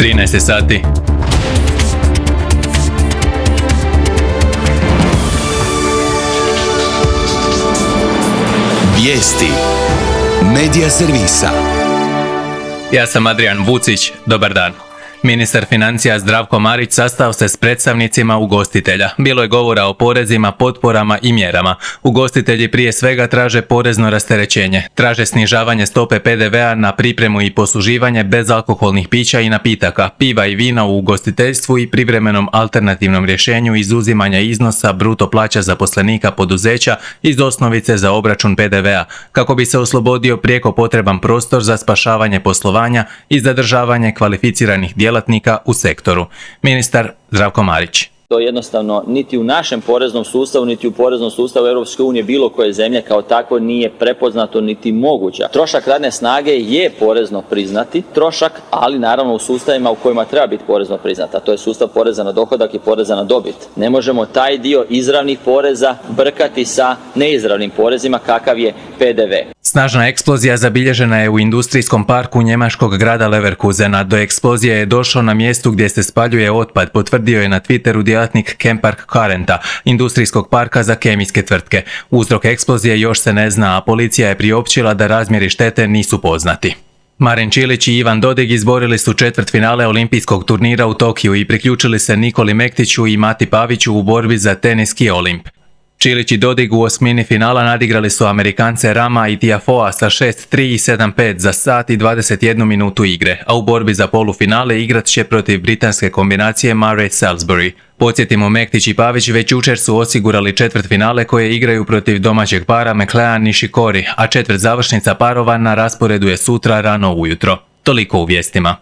13 sati. Vijesti Medija servisa. Ja sam Adrian Vucić, dobar dan. Ministar financija Zdravko Marić sastao se s predstavnicima ugostitelja. Bilo je govora o porezima, potporama i mjerama. Ugostitelji prije svega traže porezno rasterećenje. Traže snižavanje stope PDV-a na pripremu i posluživanje bezalkoholnih pića i napitaka, piva i vina u ugostiteljstvu i privremenom alternativnom rješenju izuzimanja iznosa bruto plaća zaposlenika poduzeća iz osnovice za obračun PDV-a, kako bi se oslobodio prijeko potreban prostor za spašavanje poslovanja i zadržavanje kvalificiranih djelatnika u sektoru. Ministar Zdravko Marić. To jednostavno niti u našem poreznom sustavu, niti u poreznom sustavu Europske unije bilo koje zemlje kao takvo nije prepoznato niti moguća. Trošak radne snage je porezno priznati trošak, ali naravno u sustavima u kojima treba biti porezno priznata. To je sustav poreza na dohodak i poreza na dobit. Ne možemo taj dio izravnih poreza brkati sa neizravnim porezima kakav je PDV. Snažna eksplozija zabilježena je u industrijskom parku njemačkog grada Leverkusena. Do eksplozije je došlo na mjestu gdje se spaljuje otpad, potvrdio je na Twitteru djelatnik Chempark Currenta, industrijskog parka za kemijske tvrtke. Uzrok eksplozije još se ne zna, a policija je priopćila da razmjeri štete nisu poznati. Marin Čilić i Ivan Dodig izborili su četvrtfinale olimpijskog turnira u Tokiju i priključili se Nikoli Mektiću i Mati Paviću u borbi za teniski Olimp. Čilić i Dodig u osmini finala nadigrali su Amerikance Rama i Tiafoea sa 6-3 i 7-5 za sat i 21 minutu igre, a u borbi za polufinale igrat će protiv britanske kombinacije Murray-Salisbury. Podsjetimo, Mektić i Pavić već jučer su osigurali četvrtfinale koje igraju protiv domaćeg para McLean Nishikori, a četvrtzavršnica parova na rasporedu je sutra rano ujutro. Toliko u vijestima.